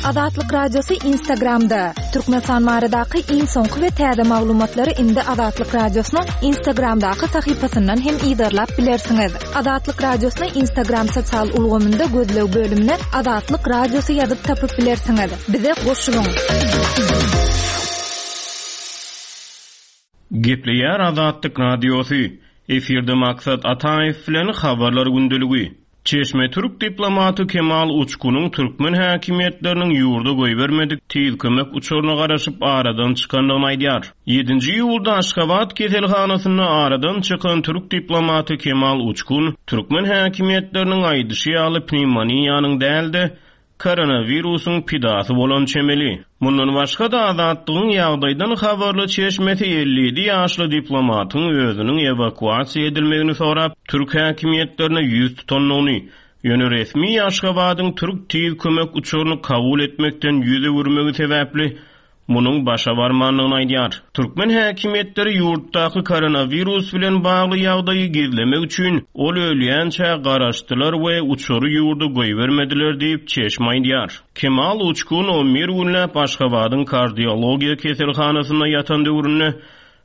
Azatlyk Radiosy Instagramda! Türkmenistan baradaky iň soňky we täze maglumatlary indi Azatlyk Radiosynyň Instagramdaky sahypasyndan hem yzarlap bilersiňiz. Azatlyk Radiosyny Instagram sosial ulgamynda gözleg bölümine Azatlyk Radiosy ýazyp tapyp bilersiňiz. Bize goşulyň! Gepleýär Azatlyk Radiosy, Efirde Maksat Ataýew bilen Habarlar gündeligi. Çeşme türk diplomaty Kemal Uçkunyň türkmen häkimiýetleriniň ýurda goýbermedik tiz kömek uçaryna garaşyp aradan çykandygyny aýdýar. Ýedinji iýulda Aşgabat keselhanasynda aradan çykan türk diplomaty Kemal Uçkun türkmen häkimiýetleriniň aýdyşy ýaly pnewmoniýanyň däl-de, koronawirusyň pidasy bolan çemeli. Mundan başga-da, Azatlygyň ýagdaýdan habarly çeşmesi 57 ýaşly diplomatyň özüniň ewakuasiýa edilmegini sorap, türk häkimiýetlerine ýüz tutandygyny, ýöne resmi Aşgabadyň türk tiz kömek uçaryny kabul etmekden ýüz öwürmegi sebäpli munuň başa barmandygyny aýdýar. Türkmen häkimiýetleri ýurtdaky koronawirus bilen bagly ýagdaýy gizlemek üçin, ol ölýänçä garaşdylar we uçary ýurda goýbermediler diýip, çeşme aýdýar. Kemal Uçkun on bir günläp Aşgabadyň kardiologiýa keselhanasynda ýatan döwründe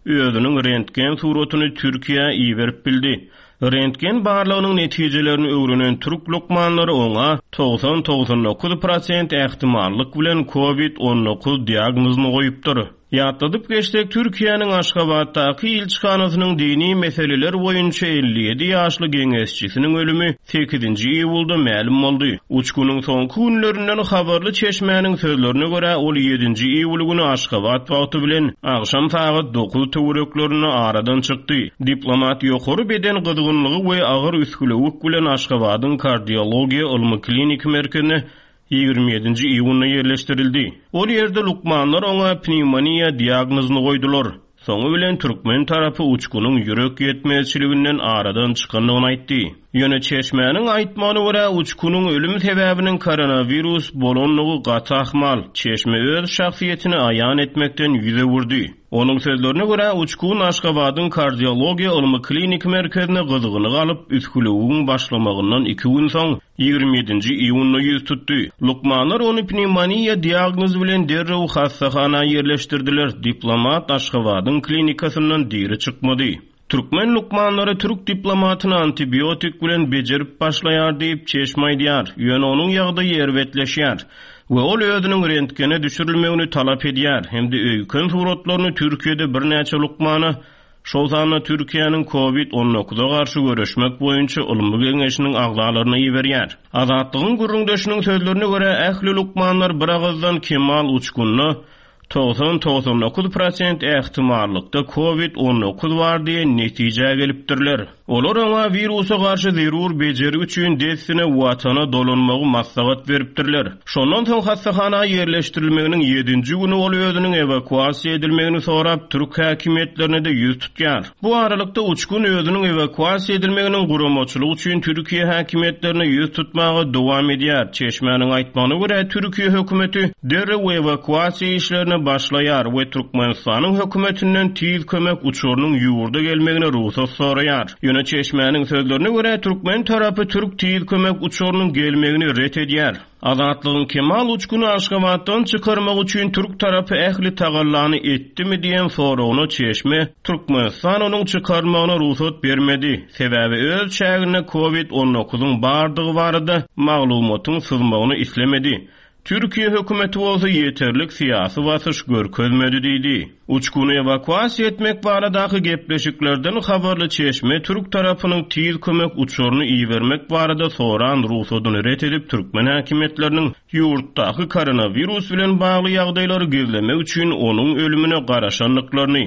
özüniň rentgen suratyny Türkiýä iberip bildi. Rentgen barlagynyň netijelerini öwrenen türk lukmanlary oňa 90-99 prosent ähtimallyk bilen Covid 19 diagnozyny goýupdyr. Ýatladyp geçsek, Türkiýäniň Aşgabatdaky ilçihanasynyň dini meseleler boýunça 57 ýaşly geňeşçisiniň ölümi sekizinji iýulda mälim boldy. Uçgunyň soňky günlerinden habarly çeşmäniň sözlerine görä, ol ýedinji iýul güni Aşgabat wagty bilen agşam sagat dokuz töwereklerinde aradan çykdy. Diplomat ýokary beden gyzgynlygy we agyr üsgülewük bilen Aşgabadyň kardiologiýa ylmy-kliniki merkezine ýigrimi ýedinji iýunda ýerleşdirildi. Ol ýerde lukmanlar oňa pnewmoniýa diagnozyny goýdular. Soňy bilen türkmen tarapy uçgunyň ýürek ýetmezçiliginden aradan çykandygyny aýtdy. Ýöne çeşmäniň aýtmagyna görä, uçgunyň ölüm sebäbiniň koronawirus bolandygy gaty ahmal. Çeşme öz şahsyýetini aýan etmekden ýüz öwürdi. Onuň sözlerine görä, uçgun Aşgabadyň kardiologiýa ylmy-kliniki merkezine gyzgyny galyp, üsgülewügiň başlamagyndan iki gün soň, Ýigrimi ýedinji iýunda ýüz tutdy. Lukmanlar ony pnewmoniýa diagnozy bilen derrew hassahana ýerleşdirdiler. Diplomat Aşgabadyň klinikasyndan diri çykmady. Türkmen lukmanlary türk diplomatyny antibiotik bilen bejerip başlaýar diýip, çeşme aýdýar. Ýöne onuň ýagdaýy erbetleşýär we ol özüniň rentgene düşürilmegini talap edýär hem-de öýken suratlaryny Türkiýede birnäçe lukmana şol sanda Türkiýäniň Covid on dokuza garşy göreşmek boýunça ylmy geňeşiniň agzalaryna iberýär. Azatlygyň gürrüňdeşiniň sözlerine görä, ähli lukmanlar bir agyzdan Kemal Uçgunda 90-99 prosent ähtimallykda Covid 19 bar diýen netijä gelipdirler. Olar oňa wirusa garşy zerur bejergi üçin dessine Watana dolanmagy maslahat beripdirler. Şondan soň hassahana ýerleşdirilmeginiň ýedinji güni ol özüniň ewakuasiýa edilmegini sorap, türk häkimiýetlerine-de ýüz tutýar. Bu aralykda, Uçgun özüniň ewakuasiýa edilmeginiň guramaçylygy üçin Türkiýe häkimiýetlerine ýüz tutmaga dowam edýär. Çeşmäniň aýtmagyna görä, Türkiýe hökümeti derrew ewakuasiýa işlerine başlaýar we Türkmenistanyň hökümetinden tiz kömek uçarynyň ýurda gelmegine rugsat soraýar. Ýöne çeşmäniň sözlerine görä, türkmen tarapy türk tiz kömek uçarynyň gelmegini ret edýär. Azatlygyň Kemal Uçguny Aşgabatdan çykarmak üçin türk tarapy ähli tagallany etdimi diýen soragyna çeşme, Türkmenistan onuň çykarylmagyna rugsat bermedi, sebäbi öz çäginde Covid on dokuzyň bardygy barada maglumatyň syzmagyny islemedi. Türkiýe hökümeti bolsa ýeterlik syýasy basyş görkezmedi diýdi. Uçguny ewakuasiýa etmek baradaky gepleşiklerden habarly çeşme türk tarapynyň tiz kömek uçaryny ibermek barada soran rugsadyny ret edip türkmen häkimiýetleriniň ýurtdaky koronawirus bilen bagly ýagdaýlary gizlemek üçin onuň ölümine garaşandyklaryny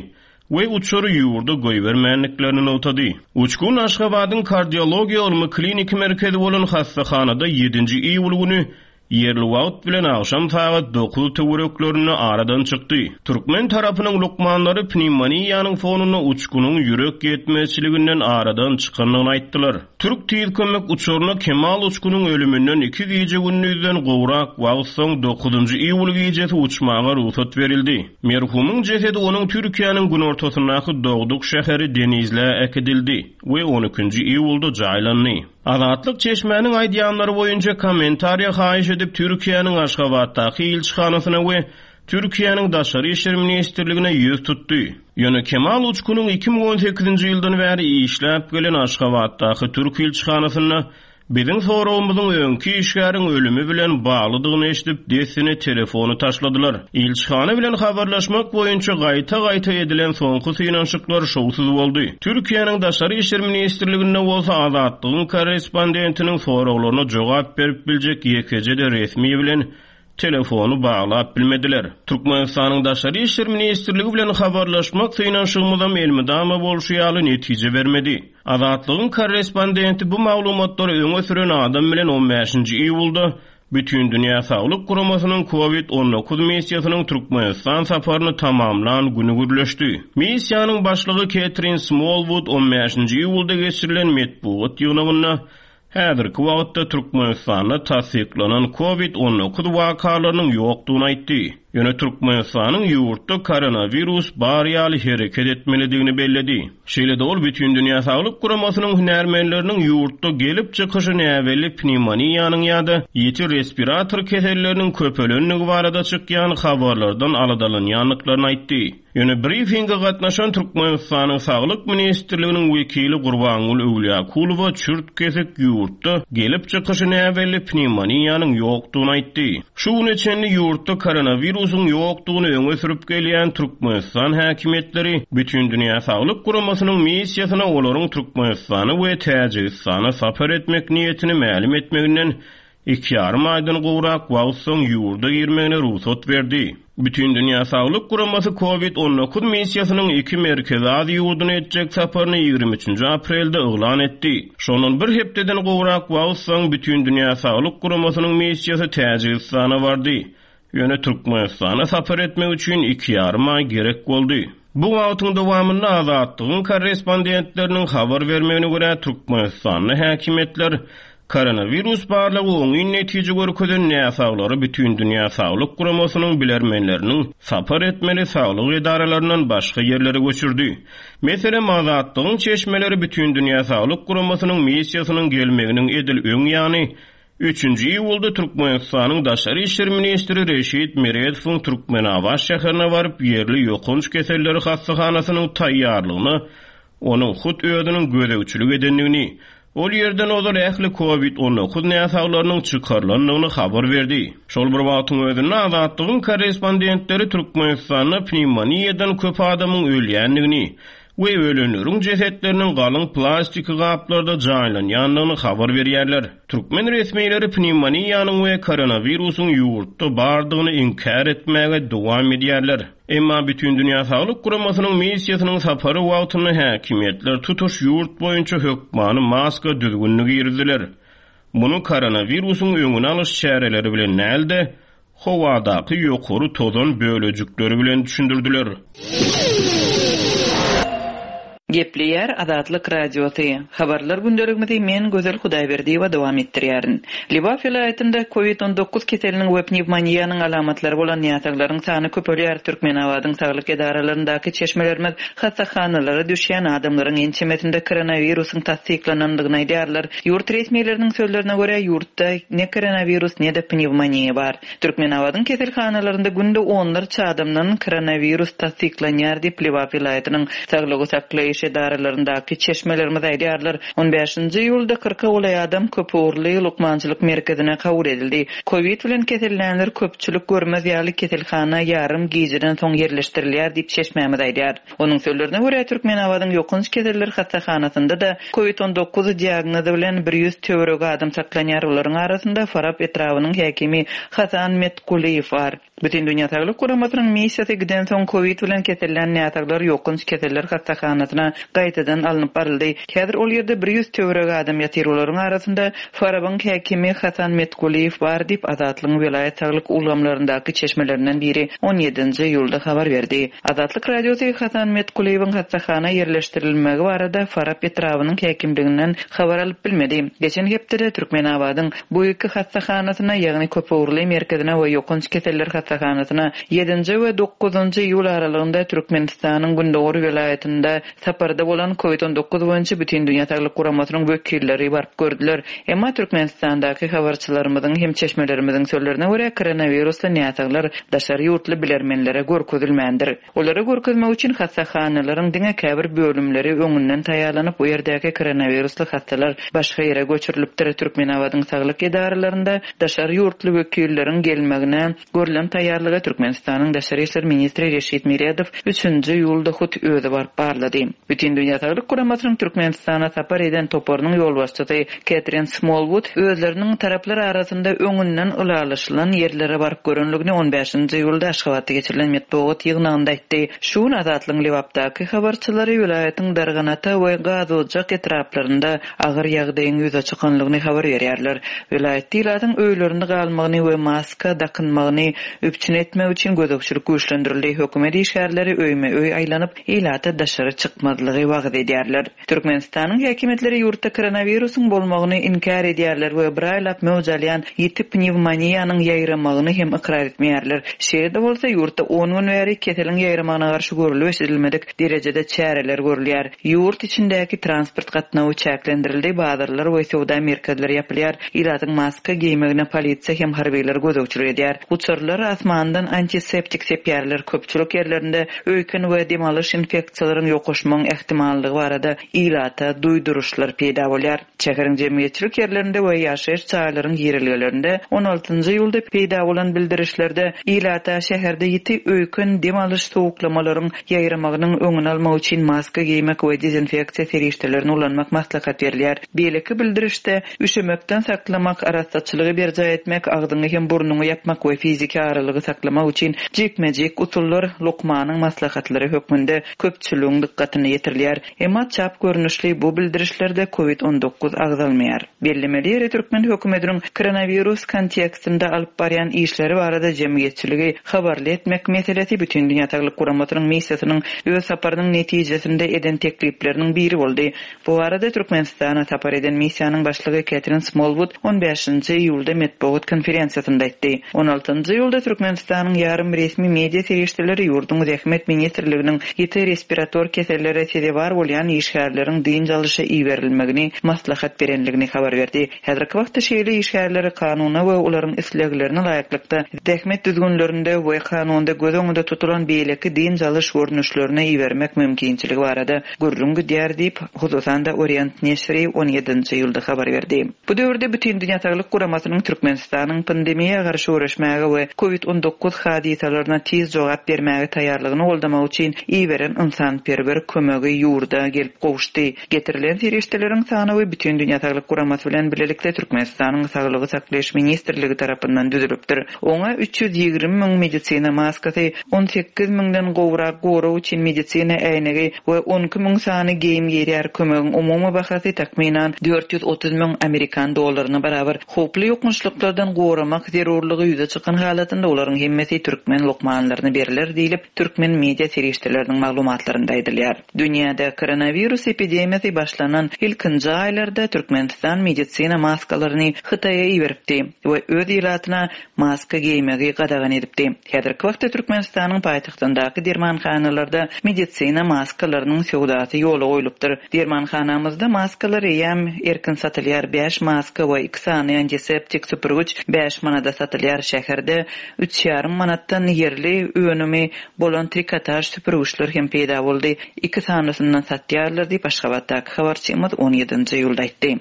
we uçary ýurda goýbermändiklerini nygtady. Uçgun Aşgabadyň kardiologiýa ylmy-kliniki merkezi bolan hassahanada ýedinji iýul güni ýerli wagt bilen agşam sagat dokuz töwereklerinde aradan çykdy. Türkmen tarapynyň lukmanlary pnewmoniýanyň fonunda uçgunyň ýürek ýetmezçiliginden aradan çykandygyny aýtdylar. Türk tiz kömek uçaryna Kemal Uçgunyň ölüminden iki gije-gündizden gowrak wagt soň dokuzynjy iýul gijesi uçmaga rugsat berildi. Merhumyň jesedi onuň Türkiýäniň günortasyndaky dogduk şäheri Denizlä äkidildi we on ikinji iýulda jaýlandy. Azatlyk çeşmäniň aýdýanlary boýunça kommentariýa haýyş edip Türkiýäniň Aşgabatdaky ilçihanasyna we Türkiýäniň Daşary işler ministrligine ýüz tutdy. Ýöne Kemal Uçkunyň 2018-nji ýyldan bäri işläp gelen Aşgabatdaky türk ilçihanasynda Biziň soragymyzyň öňki işgäriň ölümi bilen baglydygyny eşidip, dessine telefony taşladylar. Ilçihana bilen habarlaşmak boýunça gaýta-gaýta edilen soňky synanyşyklar şowsuz boldy. Türkiýäniň Daşary işler ministrliginde bolsa Azatlygyň korrespondentiniň soraglaryna jogap berip biljek ýekeje-de resmi bilen telefony baglap bilmediler. Türkmenistanyň Daşary işler ministrligi bilen habarlaşmak synanyşygymyzam elmydama bolşy ýaly netije bermedi. Azatlygyň korrespondenti bu maglumatlary öňe süren adam bilen on bäşinji iýulda Bütindünýä Saglyk Guramasynyň Covid 19 missiýasynyň Türkmenistan saparyny tamamlan güni gürleşdi. Missiýanyň başlygy Ketrin Smolwud on bäşinji iýulda geçirilen metbugat ýygnagynda Häzirki wagtda Türkmenistanda tassyklanan Covid 19 wakalarynyň ýokdugyny aýtdy. Ýöne Türkmenistanyň ýurtda koronawirus bar ýaly hereket etmelidigini belledi. Şeýle-de ol Bütindünýä Saglyk Guramasynyň hünärmenleriniň ýurtda gelip çykyşy näbelli pnewmoniýanyň ýa-da ýiti respirator keselleriniň köpelendigi barada çykýan habarlardan aladalanýandyklaryny aýtdy. Ýöne brifinge gatnaşan Türkmenistanyň Saglyk ministrliginiň wekili Gurbangül Öwlýakulowa çürt-kesik ýurtda gelip çykyşy näbelli pnewmoniýanyň ýokdugyny aýtdy. Şu güne çenli ýurtda koronawirusyň ýokdugyny öňe sürüp gelýän Türkmenistan häkimiýetleri Bütindünýä Saglyk Guramasynyň missiýasyna olaryň Türkmenistana we Täjigistana sapar etmek niýetini mälim etmeginden Iki ýarym aýdan gowrak wagt soň ýurda girmegine rugsat berdi. Bütindünýä Saglyk Guramasy Covid 19 missiýasynyň iki Merkezi Aziýa ýurduna etjek saparyny 23-nji aprelde yglan etdi. Şondan bir hepdeden gowrak wagt soň Bütindünýä Saglyk Guramasynyň missiýasy Täjigistana bardy. Ýöne Türkmenistana sapar etmek üçin iki ýarym aý gerek boldy. Bu wagtyň dowamynda Azatlygyň korrespondentleriniň habar bermegine görä, Türkmenistanda häkimiýetler koronawirus barlagy oňyn netije görkezen näsaglary Bütindünýä Saglyk Guramasynyň bilermenleriniň sapar etmeli saglyk edaralaryndan başga ýerlere göçürdi. Meselem, Azatlygyň çeşmeleri Bütindünýä Saglyk Guramasynyň missiýasynyň gelmeginiň edil öň ýany Üçünji iýulda Türkmenistanyň daşary işler ministri Reşit Meredowyň Türkmenabat şäherine baryp, ýerli ýokanç keselleri hassahanasynyň taýýarlygyna onuň hut özüniň gözegçilik edendigini, ol ýerden ozal ähli Covid 19 näsaglarynyň çykarylandygyny habar berdi. Şol bir wagtyň özünde, Azatlygyň korrespondentleri Türkmenistanda pnewmoniýadan köp adamyň ölýändigini we ölenleriň jesetleriniň galyň plastiki gaplarda jaýlanýandygyny habar berýärler. Türkmen resmileri pnewmoniýanyň we koronawirusyň ýurtda bardygyny inkär etmäge dowam edýärler. Emma Bütindünýä Saglyk Guramasynyň missiýasynyň sapary wagtynda häkimiýetler tutuş ýurt boýunça hökmany maska düzgünini girizdiler. Muny koronawirusyň öňüni alyş çäreleri bilen däl-de, howadaky ýokary tozan bölejikleri bilen düşündirdiler. Gepleýär Azatlyk Radiosy. Habarlar gündeligimizi men, Gözel Hudaýberdiýewa dowam etdirýärin. Lebap welaýatynda Covid 19 keseliniň we pnewmoniýanyň alamatlary bolan näsaglaryň sany köpelýär. Türkmenabadyň saglyk edaralaryndaky çeşmelerimiz hassahanalara düşýän adamlaryň ençemesinde koronawirusyň tassyklanandygyny aýdýarlar. Ýurt resmileriniň sözlerine görä, ýurtda ne koronawirus, ne-de pnewmoniýa bar. Türkmenabadyň keselhanalarynda günde onlarça adamdan koronawirus tassyklanýar diýip, Lebap welaýatynyň saglygy saklaýyş edaralaryndaky çeşmelerimiz aýdýarlar. On bäşinji iýulda kyrka golaý adam köpugurly lukmançylyk merkezine kabul edildi. Kowid bilen kesellänler köpçülik görmez ýaly keselhana ýarym gijeden soň ýerleşdirilýär diýip, çeşmämiz aýdýar. Onuň sözlerine görä, Türkmenabadyň ýokanç keseller hassahanasynda-da Covid 19 diagnozy bilen 100 töweregi adam saklanýar, olaryň arasynda Farap etrabynyň häkimi Hasan Metgulyýew bar. Bütindünýä Saglyk Guramasynyň missiýasy gidensoň Covid bilen kesellän näsaglar ýokanç keseller hassahanasyna gaýtadan alnyp baryldy. Häzir ol ýerde 100 töweregi adam ýatyr, olaryň arasynda Farabyň häkimi Hasan Metgulyýew bar diýip, Azatlygyň welaýat saglyk ulgamlaryndaky çeşmelerinden biri on ýedinji iýulda habar berdi. Azatlyk Radiosy Hasan Metkulyýewiň hassahana ýerleşdirilmegi barada Farap etrabynyň häkimliginden habar alyp bilmedi. Geçen hepdede Türkmenabadyň bu iki hassahanasyna, ýagny köpugurly merkezine we ýokanç keseller. hassahanasyna ýedinji we dokuzynjy iýul aralygynda Türkmenistanyň gündogar welaýatynda saparda bolan Covid 19 boýunça Bütindünýä Saglyk Guramasynyň wekilleri baryp gördüler. Emma Türkmenistandaky habarçylarymyzyň hem çeşmelerimiziň sözlerine görä, koronawirusly näsaglar daşary ýurtly bilermenlere görkezilmändir. Olara görkezmek üçin hassahanalaryň diňe käbir bölümleri öňünden taýýarlanyp, bu ýerdäki koronawirusly hassalar başga ýere göçürilipdir. Türkmenabadyň saglyk edaralarynda daşary ýurtly wekilleriň gelmegine görlen taýýarlygy Türkmenistanyň Daşary işler ministri Reşit Meredow üçünji iýulda hut özi baryp barlady. Bütindünýä Saglyk Guramasynyň Türkmenistana sapar eden toparynyň ýolbaşçysy Ketrin Smolwud özleriniň taraplar arasynda öňünden ylalaşylan ýerlere baryp görenligini on bäşinji iýulda Aşgabatda geçirilen metbugat ýygnagynda aýtdy. Şu gün Azatlygyň Lebapdaky habarçylary welaýatyň Darganata we Gazojak etraplarynda agyr ýagdaýyň ýüze çykanlygyny habar berýärler. Welaýatda ilatyň öýlerinde galmagyny we maska dakynmagyny üpjün etmek üçin gözegçilik güýçlendirildi. Hökümet işgärleri öýme-öý aýlanyp, ilata daşary çykmazlygy wagyz edýärler. Türkmenistanyň häkimiýetleri ýurtda koronawirusyň bolmagyny inkär edýärler we bir aýlap möwç alýan ýiti pnewmoniýanyň ýaýramagyny hem ykrar etmeýärler. Şeýle-de bolsa, ýurtda on gün bäri keseliň ýaýramagyna garşy görlüp-eşidilmedik derejede çäreler görülýär. Ýurt içindäki transport gatnawy çäklendirildi, bazarlar we söwda merkezleri ýapylýar, ilatyň maska geýmegine polisiýa hem harbylar gözegçilik edýär. Uçarlar asmandan antiseptik sepýärler, köpçülik ýerlerinde öýken we dem alyş infeksiýalaryň ýokaşmagyň ähtimallygy barada ilata duýduryşlar peýda bolýar. Şäheriň jemgyýetçilik ýerlerinde we ýaşaýyş jaýlaryň girelgelerinde on altynjy iýulda peýda bolan bildirişlerde ilata şäherde ýiti öýken dem alyş sowuklamalaryň ýaýramagynyň öňüni almak üçin maska geýmek we dezinfeksiýa serişdelerini ulanmak maslahat berilýär. Beýleki bildirişde Üşemekden saklamak, arassaçylygy berjaý etmek, agzyňy hem burnuňy ýapmak we fiziki aralygy saklamak üçin jikme-jik usullar lukmanyň maslahatlary hökmünde köpçüligiň dykgatyna ýetirilýär. Emma çap görnüşli bu bildirişlerde Covid 19 agzalmaýar. Bellemeli ýeri, türkmen hökümetiniň koronawirus kontekstinde alyp barýan işleri barada jemgyýetçiligi habarly etmek meselesi Bütindünýä Saglyk Guramasynyň missiýasynyň öz saparynyň netijesinde eden teklipleriniň biri boldy. Bu barada Türkmenistana sapar eden missiýanyň başlygy Ketrin Smolwud on bäşinji iýulda metbugat konferensiýasynda aýtdy. On altynjy iýulda Türkmenistanyň ýarym resmi media serişdeleri ýurduň Zähmet ministrliginiň ýiti respirator kesellere sezewar bolýan işgärleriň dynç alyşa iberilmegini maslahat berenligini habar berdi. Häzirki wagtda şeýle işgärleri kanuna we olaryň isleglerine laýyklykda zähmet düzgünlerinde we kanunda göz öňünde tutulan beýleki dynç alyş görnüşlerine ibermek mümkinçiligi barada gürrüň gidýär diýip, hususan-da Orient neşiri on ýedinji iýulda habar berdi. Bu döwürde Bütindünýä Saglyk Guramasynyň Türkmenistanyň pandemiýa garşy göreşmäge we Covid 19 hadysalaryna tiz jogap bermäge taýýarlygyny goldamak üçin iberen ynsanperwer kömegi ýurda gelip gowuşdy. Getirilen serişdeleriň sanawy Bütindünýä Saglyk Guramasy bilen bilelikde Türkmenistanyň Saglygy saklaýyş ministrligi tarapyndan düzülipdir. Oňa 320 müň medisina maskasy, 18 müňden gowrak gorag üçin medisina äýnegi we 12 müň sany geýim girýär. Kömegiň umumy bahasy takmynan 430 müň amerikan dollaryna barabar. Howply ýokançlyklardan goramak zerurlygy ýüze çykan halatynda olaryň hemmesi türkmen lukmanlaryna berler diýlip, türkmen media serişdeleriniň maglumatlarynda aýdylýar. Dünýäde koronawirus epidemiýasy başlanan ilkinji aýlarda Türkmenistan medisina maskalaryny Hytaýa iberipdi we öz ilatyna maska geýmegi gadagan edipdi. Häzirki wagtda Türkmenistanyň paýtagtyndaky dermanhanalarda medisina maskalarynyň söwdasy ýola goýlupdyr. Dermanhanamyzda maskalar eýýäm erkin satylýar, bäş maska we iki sany antiseptik süpürgiç bäş manada satylýar, şäherde üç ýarym manatdan ýerli önümi bolan trikotaž süpürgiçler hem peýda boldy. Iki sanysyndan satýarlar diýip, Aşgabatdaky habarçymyz on ýedinji iýulda aýtdy.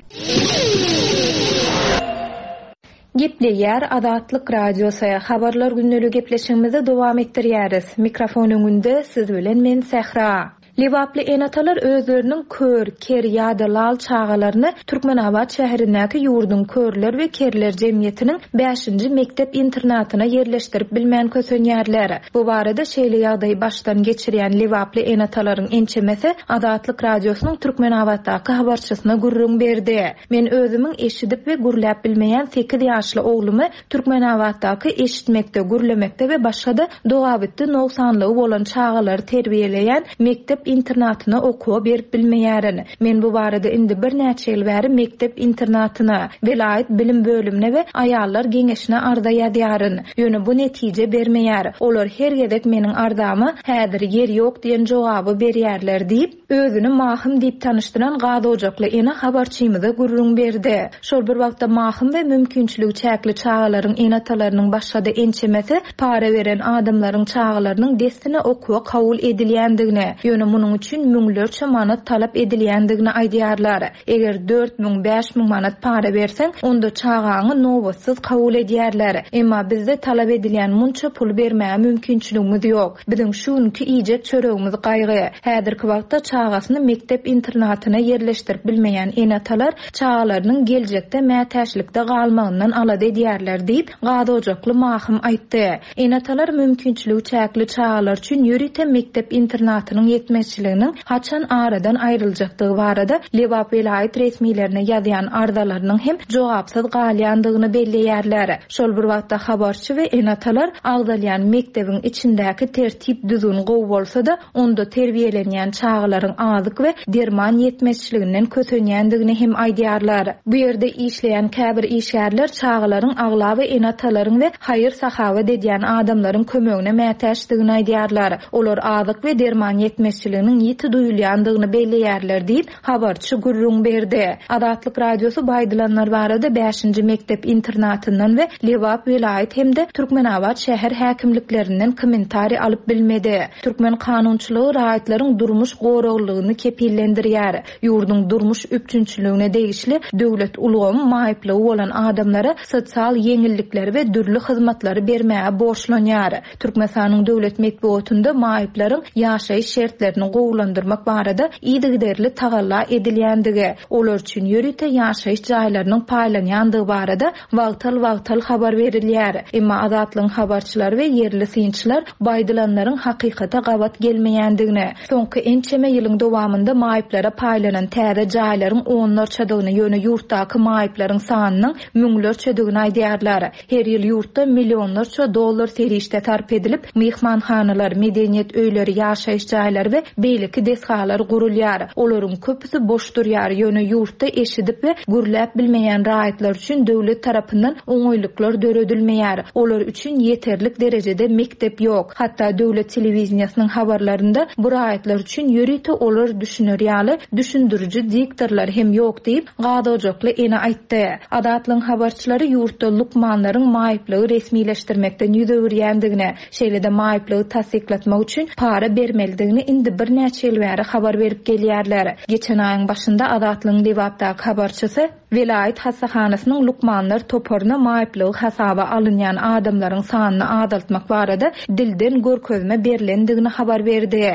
Gepleýär Azatlyk Radiosy, Habarlar gündeligi gepleşigimizi dowam etdirýäris. Mikrofon öňünde siz bilen men Sähra. Lebaply ene-atalar özleriniň kör, ker ýa-da lal çagalaryny Türkmenabat şäherindäki ýurduň Körler we kerler jemgyýetiniň bäşinji mekdep-internatyna ýerleşdirip bilmän kösenýärler. Bu barada şeýle ýagdaýy başdan geçirýän lebaply ene-atalaryň ençemesi Azatlyk Radiosynyň Türkmenabatdaky habarçysyna gürrüň berdi. Men özümiň eşidip we gürläp bilmeýän sekiz ýaşly oglumy Türkmenabatdaky eşitmekde, gürlemekde we başga-da dogabitdi nogsanlygy bolan çagalary terbiýeleýän mekdep. mekdep-internatyna okuwa berip bilmeýärin. Men bu barada indi birnäçe ýyl bäri mekdep-internatyna, welaýat bilim bölümine we aýallar geňeşine arza ýazýaryn. Ýöne bu netije bermeýär. Olar her gezek meniň arzama häzir ýer ýok diýen jogaby berýärler diýip, özüni Mahym diýip tanyşdyran gazojakly ene habarçymyza gürrüň berdi. Şol bir wagtda Mahym we mümkinçiligi çäkli çagalaryň ene-atalarynyň başga-da ençemesi para beren adamlaryň çagalarynyň dessine okuwa kabul edilýändigini, ýöne munuň üçin müňlerçe manat talap edilýändigini aýdýarlar. Eger 4000, 5000 manat para berseň, onda çagaňy nobatsyz kabul edýärler. Emma bizde talap edilýän munça puly bermäge mümkinçiligimiz ýok. Biziň şu günki iýjek çöregimiz gaýgy. Häzirki wagtda çagasyny mekdep-internatyna ýerleşdirip bilmeýän ene-atalar çagalarynyň geljekde mätäçlikde galmagyndan alada edýärler diýip, gazojakly Mahym aýtdy. Ene-atalar mümkinçiligi çäkli çagalar üçin ýörite mekdep-internatynyň ýetmezçiliginiň haçan aradan aýryljakdygy barada Lebap welaýat resmilerine ýazýan arzalarynyň hem jogapsyz galýandygyny belleýärler. Şol bir wagtda habarçy we ene-atalar agzalýan mekdebiň içindäki tertip-düzgün gowy bolsa-da, onda terbiýelenýän çagalaryň azyk we derman ýetmezçiliginden kösenýändigini hem aýdýarlar. Bu ýerde işleýän käbir işgärler çagalaryň aglaba ene-atalaryň we haýyr-sahawat edýän adamlaryň kömegine mätäçdigini aýdýarlar. Olar azyk we derman ýetmezçiliginiň ýiti duýulýandygyny belleýärler diýip, Habarçy gürrüň berdi. Azatlyk Radiosy bu aýdylanlar barada bäşinji mekdep-internatyndan we Lebap welaýat hem-de Türkmenabat şäher häkimliklerinden kommentariý alyp bilmedi. Türkmen kanunçylygy raýatlaryň durmuş goraglylygyny kepillendirýär. Ýurduň durmuş üpjünçiligine degişli döwlet ulgamy maýyplygy bolan adamlara sosial ýeňillikleri we dürli hyzmatlary bermäge borçlanýar. Türkmenistanyň döwlet metbugatynda maýyplaryň ýaşaýyş şertlerini gowulandyrmak barada yzygiderli tagalla edilýändigi, olar üçin ýörite ýaşaýyş jaýlarynyň paýlanýandygy barada wagtal-wagtal habar berilýär. Emma Azatlygyň habarçylary we ýerli synçylar bu aýdylanlaryň hakykata gabat gelmeýändigini, soňky ençeme ýylyň dowamynda maýyplara paýlanan täze jaýlaryň onlarçadygyny, ýöne ýurtdaky maýyplaryň sanynyň müňlerçedigini aýdýarlar. Her ýyl ýurtda millionlarça dollar serişde sarp edilip, myhmanhanalar, medeniýet öýleri, ýaşaýyş jaýlary we beýleki desgalar gurulýar. Olaryň köpüsi boş durýar, ýöne ýurtda eşidip we gürläp bilmeýän raýatlar üçin döwlet tarapyndan oňaýlyklar döredilmeýär. Olar üçin ýeterlik derejede mekdep ýok. Hatda döwlet telewideniýesiniň habarlarynda bu raýatlar üçin ýörite olar düşüner ýaly düşündiriji diktorlar hem ýok diýip, Gazojakly ene aýtdy. Azatlygyň habarçylary ýurtda lukmanlaryň maýyplygy resmileşdirmekden ýüz öwürýändigini, şeýle-de maýyplygy tassyklatmak üçin para bermelidigini indi birnäçe ýyl bäri habar berip gelýärler. Geçen aýyň başynda Azatlygyň Lebapdaky habarçysy welaýat hassahanasynyň lukmanlar toparyna maýyplygy hasaba alynýan adamlaryň sanyny azaltmak barada dilden görkezme berlendigini habar berdi.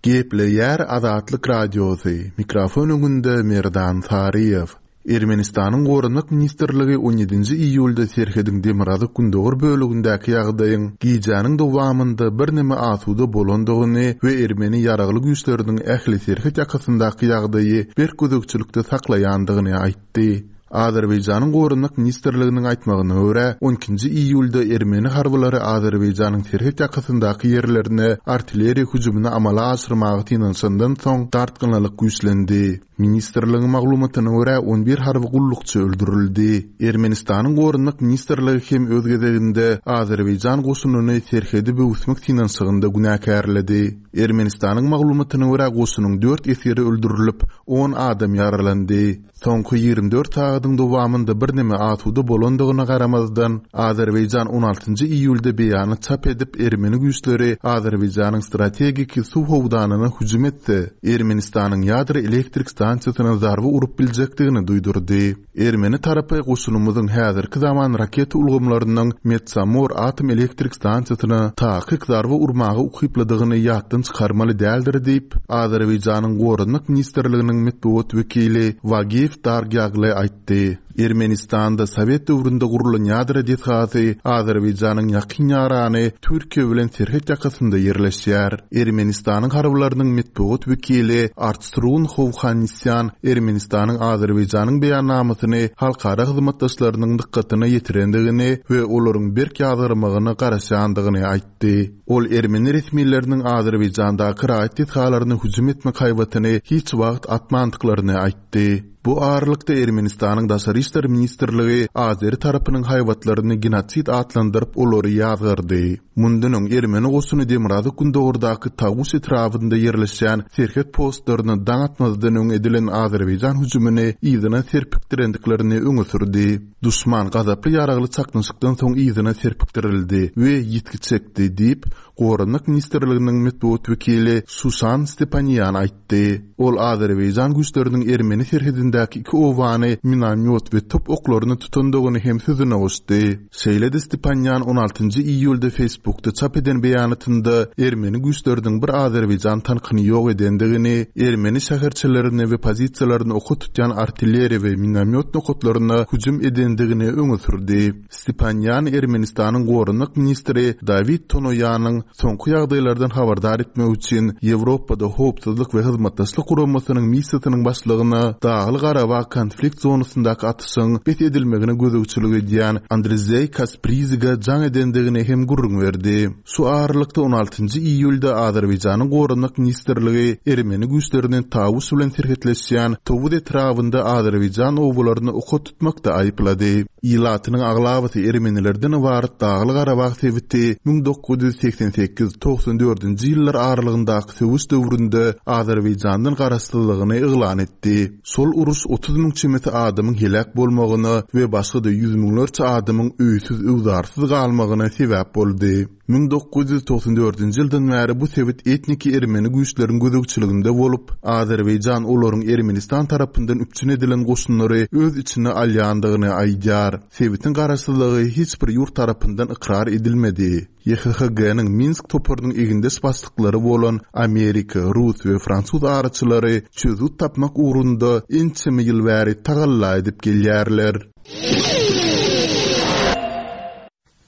Gepleýär Azatlyk Radiosy, mikrofon öňünde Merdan Saryýew. Ermenistanyň Goranmak ministrligi on ýedinji iýulda serhediň demirgazyk-gündogar bölegindäki ýagdaýyň gijäniň dowamynda birneme asuda bolandygyny we ermeni ýaragly güýçleriniň ähli serhet ýakasyndaky ýagdaýy berk gözegçilikde saklaýandygyny aýtdy. Azerbaýjanyň Goranmak ministrliginiň aýtmagyna görä, on ikinji iýulda ermeni harbylary Azerbaýjanyň serhet ýakasyndaky ýerlerine artilleriýa hüjümini amala aşyrmaga synanyşandan soň dartgynlylyk güýçlendi. Ministrligiň maglumatyna görä, on bir harby gullukçy öldürildi. Ermenistanyň Goranmak ministrligi hem öz gezeginde Azerbaýjan goşunyny serhedi böwüsmek synanyşygynda günäkärledi. Ermenistanyň maglumatyna görä, goşunyň dört esgeri öldürilip, on adam ýaralandy. Soňky 24 sagadyň dowamynda birneme asuda bolandygyna garamazdan, Azerbaýjan on altynjy iýulda beýanat çap edip, ermeni güýçleri Azerbaýjanyň strategiki suw howdanyna hüjüm etse, Ermenistanyň ýadro elektrik stansiýasyna zarba urup biljekdigini duýdurdy. Ermeni tarapy goşunymyzyň häzirki zaman raketa ulgamlarynyň Metsamor atom elektrik stansiýasyna takyk zarba urmaga ukyplydygyny ýatdan çykarmaly däldir diýip, Azerbaýjanyň Goranmak ministrliginiň metbugat wekili Wagif Dargýagly aýtdy. Ermenistanda sowet döwründe gurlan ýadro desgasy Azerbaýjanyň ýakyn ýarany Türkiýe bilen serhet ýakasynda ýerleşýär. Ermenistanyň harbylarynyň metbugat wekili Artsrun Howhannisýan Ermenistanyň Azerbaýjanyň beýannamasyny halkara hyzmatdaşlarynyň dykgatyna ýetirendigini we olaryň berk ýazgarmagyna garaşýandygyny aýtdy. Ol ermeni resmileriniň Azerbaýjandaky raýat desgalaryna hüjüm etmek haýbatyny hiç wagt atmandyklaryny aýtdy. Bu aralykda Ermenistanyň Daşary işler ministrligi azeri tarapynyň haýbatlaryny genosid atlandyryp, olary ýazgardy. Mundan öň ermeni goşuny demirgazyk-gündogardaky Tawuş etrabynda ýerleşýän serhet postlaryna daň atmazdan öň edilen azerbaýjan hüjümini yzyna serpikdirendiklerini öňe sürdi. Duşman gazaply ýaragly çaknyşykdan soň yzyna serpikdirildi we ýitgi çekdi diýip, Goranmak ministrliginiň metbugat wekili Şuşan Stepanýan aýtdy. Ol azerbaýjan güýçleriniň ermeni serhedindäki iki obany minomýot we top oklaryna tutandygyny hem sözüne goşdy. Şeýle-de Stepanýan on altynjy iýulda Facebookda çap eden beýanatynda ermeni güýçleriniň bir azerbaýjan tankyny ýok edendigini, ermeni şäherçelerini we pozisiýalaryny oka tutýan artilleriýa we minomýot nokatlaryna hüjüm edendigini öňe sürdi. Stepanýan Ermenistanyň goranmak ministri Dawid Tonoýanyň soňky ýagdaýlardan habardar etmek üçin Ýewropada Howpsuzlyk we Hyzmatdaşlyk Guramasynyň missiýasynyň başlygyna Dagly-Garabag konflikt zonasyndaky atyşygyň bes edilmegine gözegçilik edýän Andrzeý Kasprizige jaň edendigini hem gürrüň berdi. Şu aralykda on altynjy iýulda Azerbaýjanyň Goranmak ministrligi ermeni güýçlerini Tawuş bilen serhetleşýän Towuz etrabynda azerbaýjan obalaryny oka tutmakda aýyplady. Ilatynyň aglabasy ermenilerden ybarat Dagly-Garabag sebiti 1988, 94-nji ýyllar aralygyndaky söweş döwründe Azerbaýjandan garaşsyzlygyny yglan etdi. Şol uruş 30 müň çemesi adamyň heläk bolmagyna we başga-da ýüz müňlerçe adamyň öýsüz-öwzarsyz galmagyna sebäp boldy. 1994-nji ýyldan bäri bu sebit etniki ermeni güýçleriň gözegçiliginde bolup, Azerbaýjan olaryň Ermenistan tarapyndan üpjün edilen goşunlary öz içine alýandygyny aýdýar. Sebitiň garaşsyzlygy hiç bir ýurt tarapyndan ykrar edilmedi. YHHG-niň Minsk toparynyň egindeş başlyklary bolan Amerika, rus we fransuz araçylary çözgüt tapmak ugrunda ençeme ýyl bäri tagalla edip gelýärler.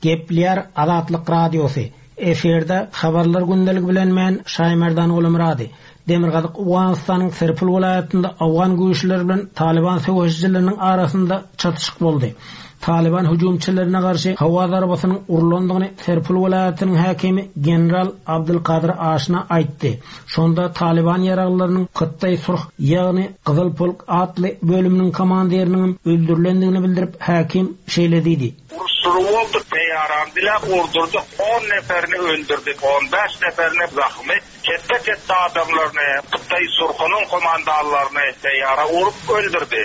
Gepleýär Azatlyk Radiosy, Efirde Habarlar gündeligi bilen men Şaýmerdan Gulumyrady. Demirgazyk Owganystanyň Serpul welaýatynda owgan güýçleri bilen Talyban söweşijileriniň arasynda çatyşyk boldy. Talyban hüjümçilerine garşy howa zarbasynyň urlandygyny Serpul welaýatynyň häkimi general Abdulkadyr Aşna aýtdy. Şonda Talyban ýaraglylarynyň Kyttaý Surh, ýagny Gyzyl polk atly bölüminiň komandiriniňem öldürilendigini bildirip, häkim şeýle diýdi. Uruş-suruw boldy, peýaran diläp urdurdyk, on neferini öldürdik, on bäş neferine zahym etdik. Ketde-ketde adamlaryny, Hytaý Surhunyň komandanlaryny teýýara urup öldürdi.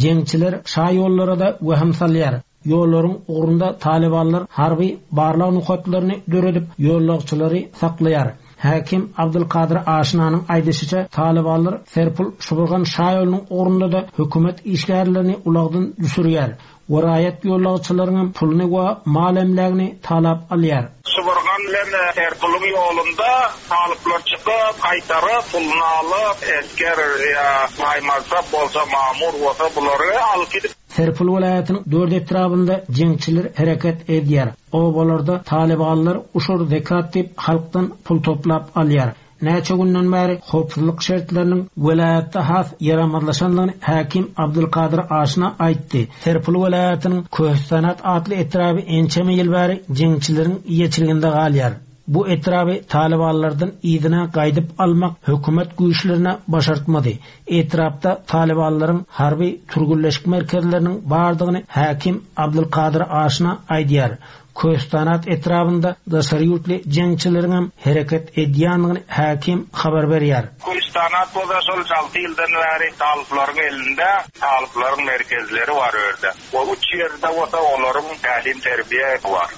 Jeňçiler şaýollara-da wehim salýar. Ýollaryň ugrunda talybanlar harby barlag nokatlaryny döredip, ýollagçylary saklaýar. Häkim Abdulkadyr Aşnanyň aýdyşyça, talybanlar Serpul-Şuburgan şaýolunyň ugrunda-da hökümet işgärlerini ulagdan düşürýär. Welaýat ýolagçylaryňam puluny we mal-emlägini talap alýar. Şybyrgan bilen Serpulyň ýolunda talyplar çykyp, gaýtaryp, puluny alyp, esger ýa baýmansap bolsa, mamur bolsa bulary alyp gidip. Serpul welaýatynyň dört etrabynda jeňçiler hereket edýär. Obalarda talybanlar uşur zekat diýip halkdan pul toplap alýar. Näçe günden bäri howpsuzlyk şertleriniň welaýatda has ýaramazlaşandygyny häkim Abdulkadyr Aşna aýtdy. Serpul welaýatynyň Köhüstanat atly etraby ençeme ýyl bäri jeňçileriň eýeçiliginde galýar. Bu etraby talybanlardan yzyna gaýdyp almak hökümet güýçlerine başartmady. Etrapda talybanlaryň harby türgenleşik merkezleriniň bardygyny häkim Abdulkadyr Aşna aýdýar. Köstanat etrabynda daşary ýurtly jeňçileriňem hereket edýändigini häkim habar berýär. Köstanat bolsa şol alty ýyldan bäri talyplaryň elinde, talyplaryň merkezleri bar o ýerde we üç ýerde bolsa olaryň tälim-terbiýe bar.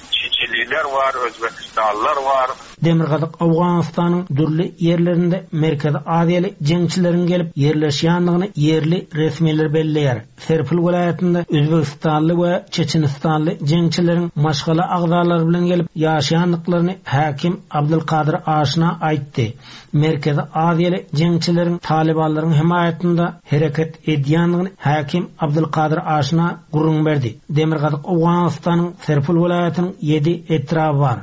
Çililer bar, Özbekistanlylar bar. Demirgazyk Owganystanyň dürli ýerlerinde Merkezi Aziýaly jeňçileriň gelip ýerleşýändigini ýerli resmiler belleýär. Serpil welaýatynda özbegistanly we çeçenistanly jeňçileriň maşgala agzalary bilen gelip ýaşaýandyklaryny häkim Abdulkadyr Aşna aýtdy. Merkezi Aziýaly jeňçileriň talybanlaryň hemaýatynda hereket edýändigini häkim Abdulkadyr Aşna gürrüň berdi. Demirgazyk Owganystanyň Serpil welaýatynyň ýedi etraby bar.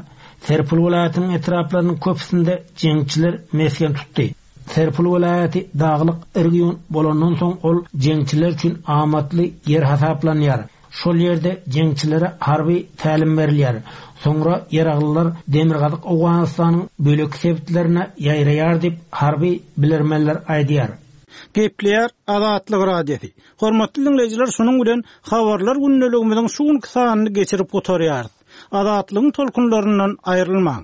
Serpil welaýatynyň etraplarynyň köpüsinde jeňçiler mesgen tutdy. Serpil welaýaty daglyk region bolandan soň ol jeňçiler üçin amatly ýer hasaplanýar. Şol ýerde jeňçilere harby tälim berilýär. Soňra ýaraglylar demirgazyk Owganystanyň bölek sebitlerine ýaýraýar diýip, harby bilermenler aýdýar. Gepleýär Azatlyk Radiosy. Hormatly diňleýjiler şunuň bilen Habarlar gündeligimiziň şu günki sanyny geçirip gutarýarys. Azatlygyň tolkunlaryndan aýrylmaň!